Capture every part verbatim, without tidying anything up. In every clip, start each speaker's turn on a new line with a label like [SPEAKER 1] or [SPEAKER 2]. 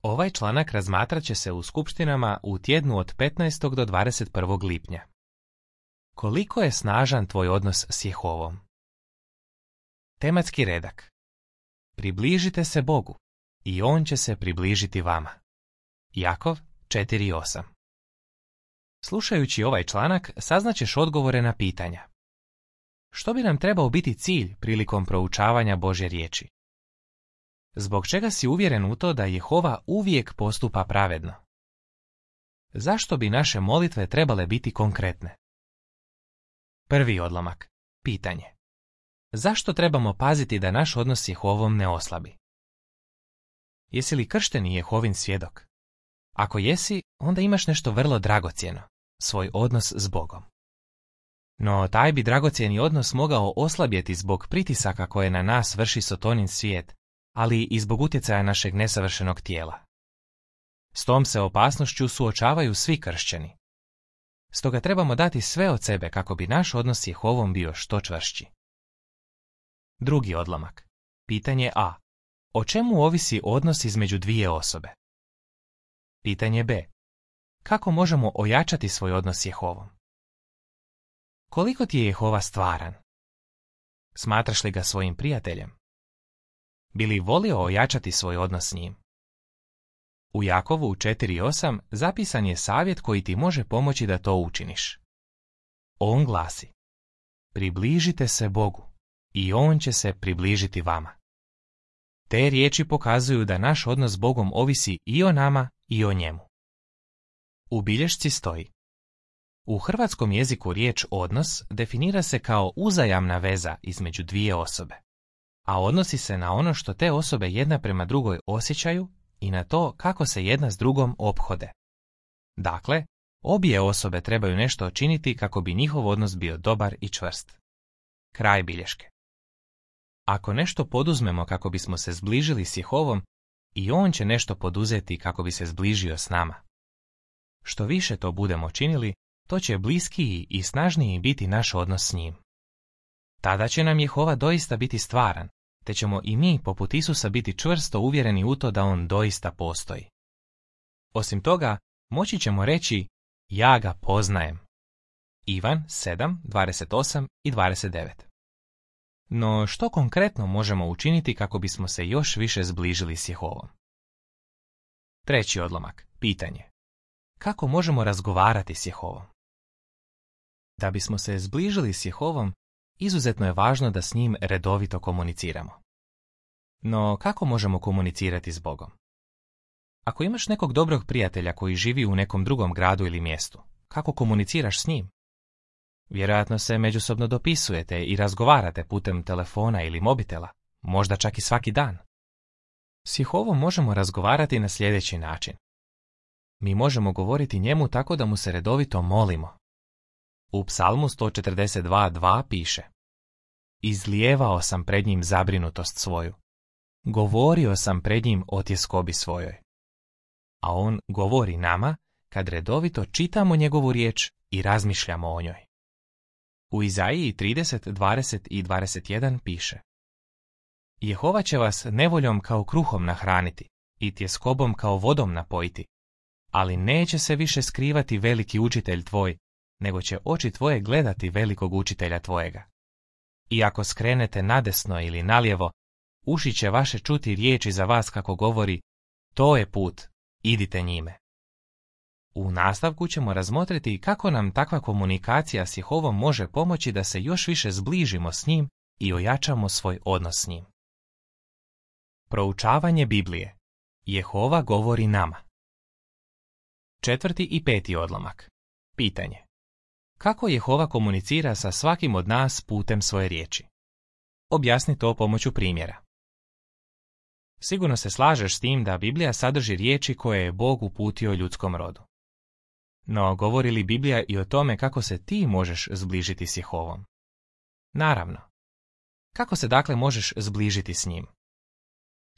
[SPEAKER 1] Ovaj članak razmatrat će se u skupštinama u tjednu od petnaestog do dvadeset prvog lipnja. Koliko je snažan tvoj odnos s Jehovom? Tematski redak. Približite se Bogu i On će se približiti vama. Jakov četiri osam. Slušajući ovaj članak saznaćeš odgovore na pitanja. Što bi nam trebao biti cilj prilikom proučavanja Božje riječi? Zbog čega si uvjeren u to da Jehova uvijek postupa pravedno? Zašto bi naše molitve trebale biti konkretne? Prvi odlomak. Pitanje. Zašto trebamo paziti da naš odnos s Jehovom ne oslabi? Jesi li kršteni Jehovin svjedok? Ako jesi, onda imaš nešto vrlo dragocjeno, svoj odnos s Bogom. No taj bi dragocjeni odnos mogao oslabjeti zbog pritisaka koje na nas vrši Sotonin svijet, ali i zbog utjecaja našeg nesavršenog tijela. S tom se opasnošću suočavaju svi kršćani. Stoga trebamo dati sve od sebe kako bi naš odnos s Jehovom bio što čvršći. Drugi odlomak. Pitanje A. O čemu ovisi odnos između dvije osobe? Pitanje B. Kako možemo ojačati svoj odnos s Jehovom? Koliko ti je Jehova stvaran? Smatraš li ga svojim prijateljem? Bi li volio ojačati svoj odnos s njim? U Jakovu četiri osam zapisan je savjet koji ti može pomoći da to učiniš. On glasi: približite se Bogu i On će se približiti vama. Te riječi pokazuju da naš odnos s Bogom ovisi i o nama i o njemu. U bilješci stoji: u hrvatskom jeziku riječ odnos definira se kao uzajamna veza između dvije osobe, a odnosi se na ono što te osobe jedna prema drugoj osjećaju i na to kako se jedna s drugom ophode. Dakle, obje osobe trebaju nešto činiti kako bi njihov odnos bio dobar i čvrst. Kraj bilješke. Ako nešto poduzmemo kako bismo se zbližili s Jehovom, i On će nešto poduzeti kako bi se zbližio s nama. Što više to budemo činili, to će bliskiji i snažniji biti naš odnos s njim. Tada će nam Jehova doista biti stvaran, te ćemo i mi poput Isusa biti čvrsto uvjereni u to da On doista postoji. Osim toga, moći ćemo reći: ja ga poznajem. Ivan sedam dvadeset osam i dvadeset devet. No što konkretno možemo učiniti kako bismo se još više zbližili s Jehovom? Treći odlomak. Pitanje. Kako možemo razgovarati s Jehovom? Da bismo se zbližili s Jehovom, izuzetno je važno da s njim redovito komuniciramo. No kako možemo komunicirati s Bogom? Ako imaš nekog dobrog prijatelja koji živi u nekom drugom gradu ili mjestu, kako komuniciraš s njim? Vjerojatno se međusobno dopisujete i razgovarate putem telefona ili mobitela, možda čak i svaki dan. S Jehovom možemo razgovarati na sljedeći način. Mi možemo govoriti njemu tako da mu se redovito molimo. U Psalmu sto četrdeset dva dva piše: izlijevao sam pred njim zabrinutost svoju. Govorio sam pred njim o tjeskobi svojoj. A on govori nama kad redovito čitamo njegovu riječ i razmišljamo o njoj. U Izaiji trideset dvadeset i dvadeset jedan piše: Jehova će vas nevoljom kao kruhom nahraniti i tjeskobom kao vodom napojiti, ali neće se više skrivati veliki učitelj tvoj, nego će oči tvoje gledati velikog učitelja tvojega. I ako skrenete nadesno ili nalijevo, uši će vaše čuti riječi za vas kako govori: to je put, idite njime. U nastavku ćemo razmotriti kako nam takva komunikacija s Jehovom može pomoći da se još više zbližimo s njim i ojačamo svoj odnos s njim. Proučavanje Biblije. Jehova govori nama. Četvrti i peti odlomak. Pitanje. Kako Jehova komunicira sa svakim od nas putem svoje riječi? Objasni to pomoću primjera. Sigurno se slažeš s tim da Biblija sadrži riječi koje je Bog uputio ljudskom rodu. No, govori li Biblija i o tome kako se ti možeš zbližiti s Jehovom? Naravno. Kako se dakle možeš zbližiti s njim?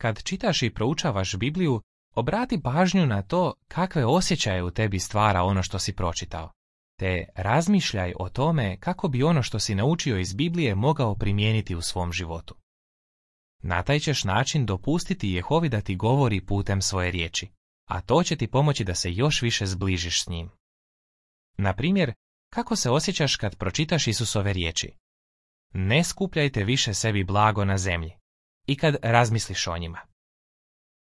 [SPEAKER 1] Kad čitaš i proučavaš Bibliju, obrati pažnju na to kakve osjećaje u tebi stvara ono što si pročitao, te razmišljaj o tome kako bi ono što si naučio iz Biblije mogao primijeniti u svom životu. Na taj ćeš način dopustiti Jehovi da ti govori putem svoje riječi, a to će ti pomoći da se još više zbližiš s njim. Na primjer, kako se osjećaš kad pročitaš Isusove riječi? Ne skupljajte više sebi blago na zemlji i kad razmisliš o njima.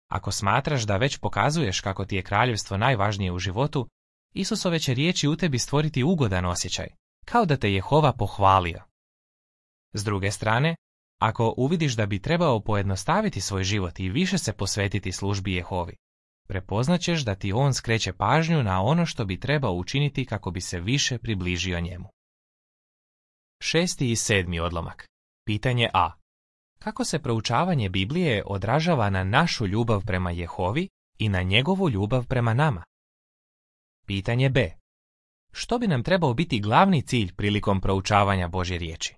[SPEAKER 1] Ako smatraš da već pokazuješ kako ti je kraljevstvo najvažnije u životu, Isusove će riječi u tebi stvoriti ugodan osjećaj, kao da te Jehova pohvalio. S druge strane, ako uvidiš da bi trebao pojednostaviti svoj život i više se posvetiti službi Jehovi, prepoznaćeš da ti on skreće pažnju na ono što bi trebao učiniti kako bi se više približio njemu. Šesti i sedmi odlomak. Pitanje A. Kako se proučavanje Biblije odražava na našu ljubav prema Jehovi i na njegovu ljubav prema nama? Pitanje B. Što bi nam trebao biti glavni cilj prilikom proučavanja Božje riječi?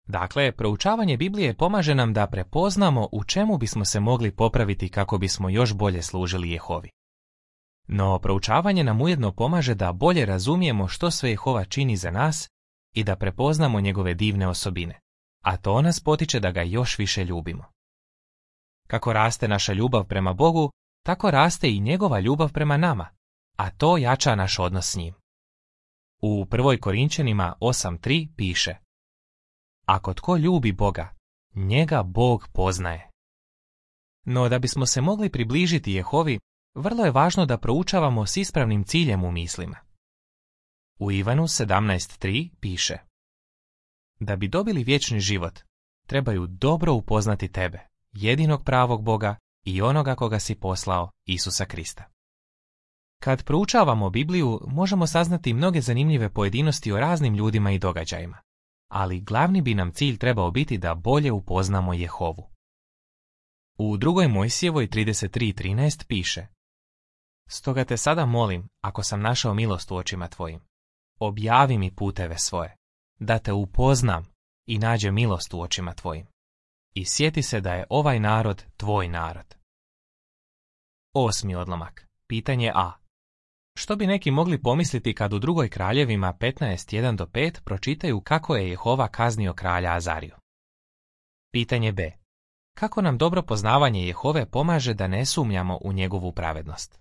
[SPEAKER 1] Dakle, proučavanje Biblije pomaže nam da prepoznamo u čemu bismo se mogli popraviti kako bismo još bolje služili Jehovi. No, proučavanje nam ujedno pomaže da bolje razumijemo što sve Jehova čini za nas i da prepoznamo njegove divne osobine, a to nas potiče da ga još više ljubimo. Kako raste naša ljubav prema Bogu, tako raste i njegova ljubav prema nama, a to jača naš odnos s njim. U prvoj Korinčanima osam tri piše: Ako tko ljubi Boga, njega Bog poznaje. No da bismo se mogli približiti Jehovi, vrlo je važno da proučavamo s ispravnim ciljem u mislima. U Ivanu sedamnaest tri piše: Da bi dobili vječni život, trebaju dobro upoznati tebe, jedinog pravog Boga i onoga koga si poslao, Isusa Krista. Kad proučavamo Bibliju, možemo saznati mnoge zanimljive pojedinosti o raznim ljudima i događajima, ali glavni bi nam cilj trebao biti da bolje upoznamo Jehovu. U drugoj Mojsijevoj trideset tri trinaest piše: Stoga te sada molim, ako sam našao milost u očima tvojim, objavi mi puteve svoje, da te upoznam i nađe milost u očima tvojim. I sjeti se da je ovaj narod tvoj narod. Osmi odlomak. Pitanje A. Što bi neki mogli pomisliti kad u drugoj Kraljevima petnaest jedan do pet pročitaju kako je Jehova kaznio kralja Azariju? Pitanje B. Kako nam dobro poznavanje Jehove pomaže da ne sumnjamo u njegovu pravednost?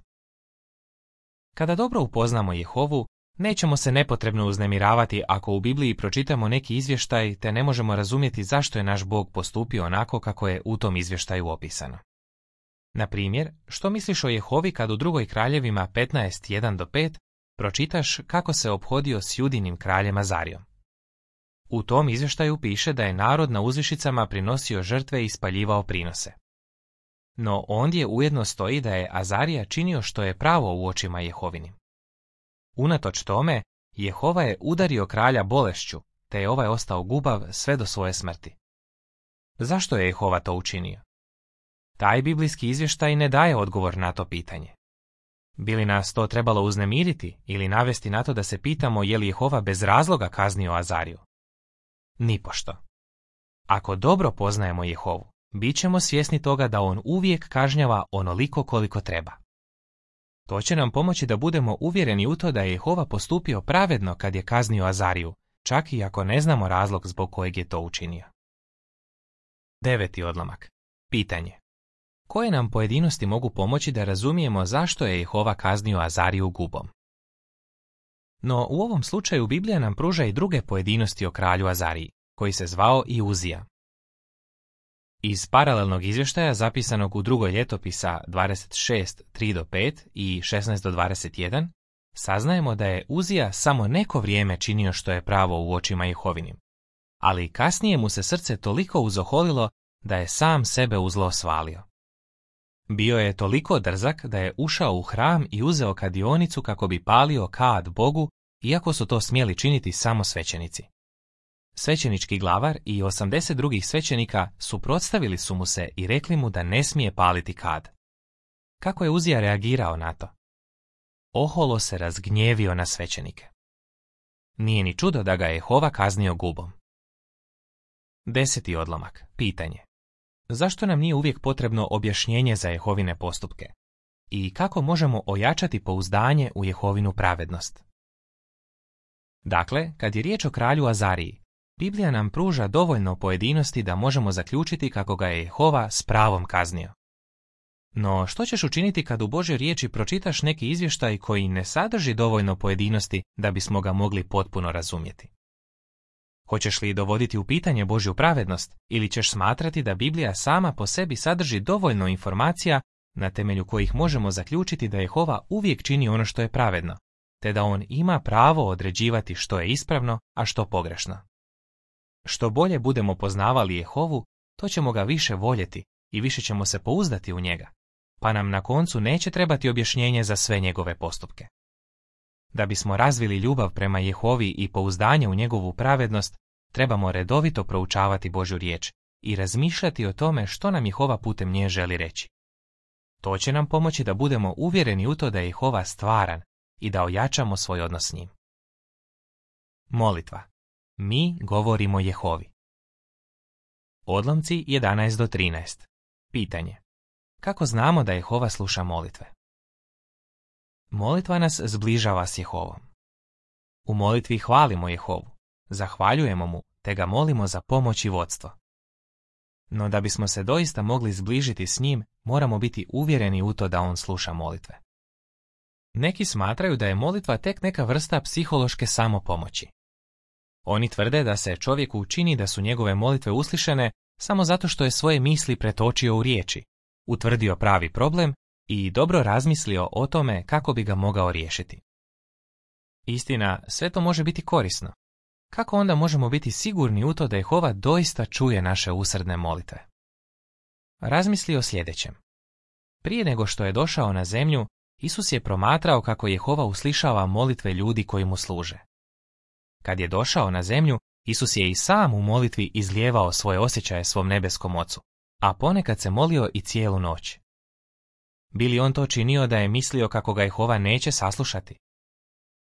[SPEAKER 1] Kada dobro upoznamo Jehovu, nećemo se nepotrebno uznemiravati ako u Bibliji pročitamo neki izvještaj te ne možemo razumjeti zašto je naš Bog postupio onako kako je u tom izvještaju opisano. Na primjer, što misliš o Jehovi kad u drugoj Kraljevima petnaest jedan do pet pročitaš kako se ophodio s Judinim kraljem Azarijom? U tom izvještaju piše da je narod na uzvišicama prinosio žrtve i spaljivao prinose. No ondje ujedno stoji da je Azarija činio što je pravo u očima Jehovinim. Unatoč tome, Jehova je udario kralja bolešću, te je ovaj ostao gubav sve do svoje smrti. Zašto je Jehova to učinio? Taj biblijski izvještaj ne daje odgovor na to pitanje. Bi li nas to trebalo uznemiriti ili navesti na to da se pitamo je li Jehova bez razloga kaznio Azariju? Nipošto. Ako dobro poznajemo Jehovu, bit ćemo svjesni toga da on uvijek kažnjava onoliko koliko treba. To će nam pomoći da budemo uvjereni u to da je Jehova postupio pravedno kad je kaznio Azariju, čak i ako ne znamo razlog zbog kojeg je to učinio. Deveti odlomak. Pitanje. Koje nam pojedinosti mogu pomoći da razumijemo zašto je Jehova kaznio Azariju gubom? No u ovom slučaju Biblija nam pruža i druge pojedinosti o kralju Azariji, koji se zvao i Uzija. Iz paralelnog izvještaja zapisanog u drugoj ljetopisa dvadeset šest tri do pet i šesnaest do dvadeset jedan, saznajemo da je Uzija samo neko vrijeme činio što je pravo u očima Jehovinim, ali kasnije mu se srce toliko uzoholilo da je sam sebe u zlo svalio. Bio je toliko drzak da je ušao u hram i uzeo kadionicu kako bi palio kad Bogu, iako su to smjeli činiti samo svećenici. Svećenički glavar i osamdeset drugih svećenika suprotstavili su mu se i rekli mu da ne smije paliti kad. Kako je Uzija reagirao na to? Oholo se razgnjevio na svećenike. Nije ni čudo da ga je Jehova kaznio gubom. Deseti odlomak. Pitanje. Zašto nam nije uvijek potrebno objašnjenje za Jehovine postupke? I kako možemo ojačati pouzdanje u Jehovinu pravednost? Dakle, kad je riječ o kralju Azariji, Biblija nam pruža dovoljno pojedinosti da možemo zaključiti kako ga je Jehova s pravom kaznio. No, što ćeš učiniti kad u Božjoj riječi pročitaš neki izvještaj koji ne sadrži dovoljno pojedinosti da bismo ga mogli potpuno razumjeti? Hoćeš li dovoditi u pitanje Božju pravednost ili ćeš smatrati da Biblija sama po sebi sadrži dovoljno informacija na temelju kojih možemo zaključiti da Jehova uvijek čini ono što je pravedno, te da on ima pravo određivati što je ispravno, a što pogrešno? Što bolje budemo poznavali Jehovu, to ćemo ga više voljeti i više ćemo se pouzdati u njega, pa nam na koncu neće trebati objašnjenje za sve njegove postupke. Da bismo razvili ljubav prema Jehovi i pouzdanje u njegovu pravednost, trebamo redovito proučavati Božju riječ i razmišljati o tome što nam Jehova putem nje želi reći. To će nam pomoći da budemo uvjereni u to da je Jehova stvaran i da ojačamo svoj odnos s njim. Molitva. Mi govorimo Jehovi. Odlomci jedanaest do trinaest. Pitanje. Kako znamo da Jehova sluša molitve? Molitva nas zbližava s Jehovom. U molitvi hvalimo Jehovu, zahvaljujemo mu te ga molimo za pomoć i vodstvo. No da bismo se doista mogli zbližiti s njim, moramo biti uvjereni u to da on sluša molitve. Neki smatraju da je molitva tek neka vrsta psihološke samopomoći. Oni tvrde da se čovjeku učini da su njegove molitve uslišene samo zato što je svoje misli pretočio u riječi, utvrdio pravi problem i dobro razmislio o tome kako bi ga mogao riješiti. Istina, sve to može biti korisno. Kako onda možemo biti sigurni u to da Jehova doista čuje naše usrdne molitve? Razmisli o sljedećem. Prije nego što je došao na zemlju, Isus je promatrao kako Jehova uslišava molitve ljudi koji mu služe. Kad je došao na zemlju, Isus je i sam u molitvi izlijevao svoje osjećaje svom nebeskom Ocu, a ponekad se molio i cijelu noć. Bi li on to činio da je mislio kako ga Jehova neće saslušati?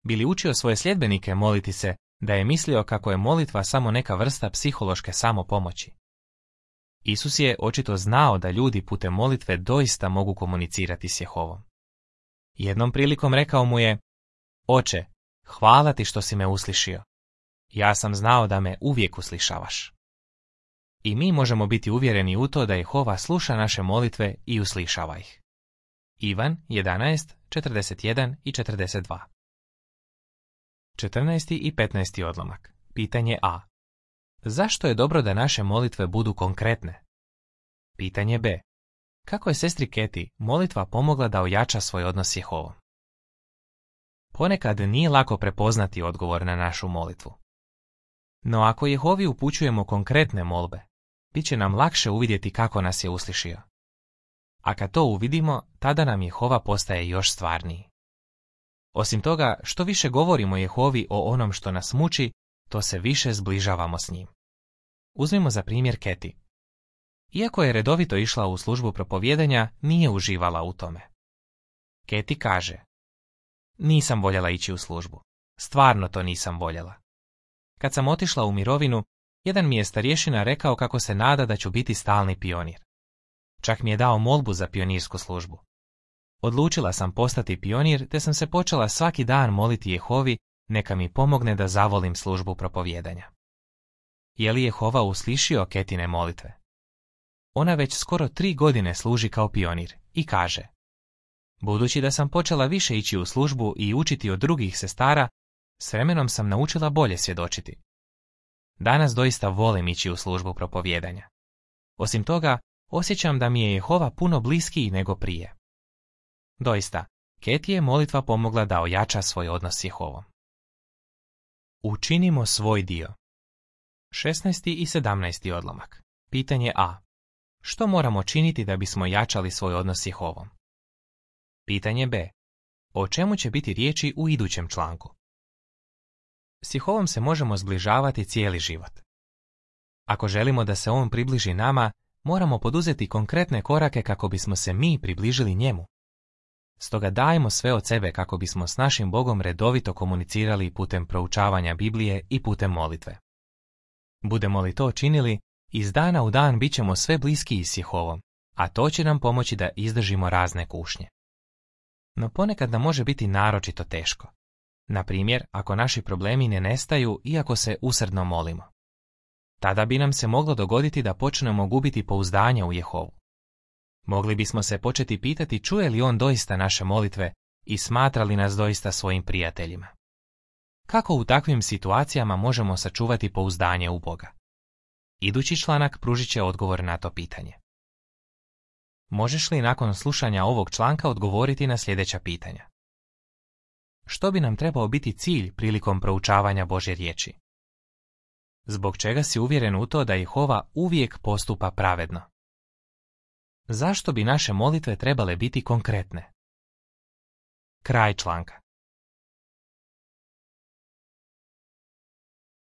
[SPEAKER 1] Bi li učio svoje sljedbenike moliti se da je mislio kako je molitva samo neka vrsta psihološke samopomoći? Isus je očito znao da ljudi putem molitve doista mogu komunicirati s Jehovom. Jednom prilikom rekao mu je: Oče, hvala ti što si me uslišio. Ja sam znao da me uvijek uslišavaš. I mi možemo biti uvjereni u to da Jehova sluša naše molitve i uslišava ih. Ivan jedanaest, četrdeset jedan i četrdeset dva. četrnaesti i petnaesti odlomak. Pitanje A. Zašto je dobro da naše molitve budu konkretne? Pitanje B. Kako je sestri Keti molitva pomogla da ojača svoj odnos s Jehovom? Ponekad nije lako prepoznati odgovor na našu molitvu. No ako Jehovi upućujemo konkretne molbe, bit će nam lakše uvidjeti kako nas je uslišio. A kad to uvidimo, tada nam Jehova postaje još stvarniji. Osim toga, što više govorimo Jehovi o onom što nas muči, to se više zbližavamo s njim. Uzmimo za primjer Keti. Iako je redovito išla u službu propovijedanja, nije uživala u tome. Keti kaže: Nisam voljela ići u službu. Stvarno to nisam voljela. Kad sam otišla u mirovinu, jedan mi je starješina rekao kako se nada da ću biti stalni pionir. Čak mi je dao molbu za pionirsku službu. Odlučila sam postati pionir, te sam se počela svaki dan moliti Jehovi neka mi pomogne da zavolim službu propovijedanja. Je li Jehova uslišio Ketine molitve? Ona već skoro tri godine služi kao pionir i kaže: Budući da sam počela više ići u službu i učiti od drugih sestara, s vremenom sam naučila bolje svjedočiti. Danas doista volim ići u službu propovijedanja. Osim toga, osjećam da mi je Jehova puno bliskiji nego prije. Doista, Keti je molitva pomogla da ojača svoj odnos s Jehovom. Učinimo svoj dio. šesnaesti i sedamnaesti odlomak. Pitanje A. Što moramo činiti da bismo jačali svoj odnos s Jehovom? Pitanje B. O čemu će biti riječi u idućem članku? S Jehovom se možemo zbližavati cijeli život. Ako želimo da se on približi nama, moramo poduzeti konkretne korake kako bismo se mi približili njemu. Stoga dajmo sve od sebe kako bismo s našim Bogom redovito komunicirali putem proučavanja Biblije i putem molitve. Budemo li to činili, iz dana u dan bit ćemo sve bliskiji s Jehovom, a to će nam pomoći da izdržimo razne kušnje. No ponekad nam može biti naročito teško. Na primjer, ako naši problemi ne nestaju iako se usrdno molimo. Tada bi nam se moglo dogoditi da počnemo gubiti pouzdanje u Jehovu. Mogli bismo se početi pitati čuje li on doista naše molitve i smatra li nas doista svojim prijateljima. Kako u takvim situacijama možemo sačuvati pouzdanje u Boga? Idući članak pružit će odgovor na to pitanje. Možeš li nakon slušanja ovog članka odgovoriti na sljedeća pitanja? Što bi nam trebao biti cilj prilikom proučavanja Božje riječi? Zbog čega si uvjeren u to da Jehova uvijek postupa pravedno? Zašto bi naše molitve trebale biti konkretne? Kraj članka.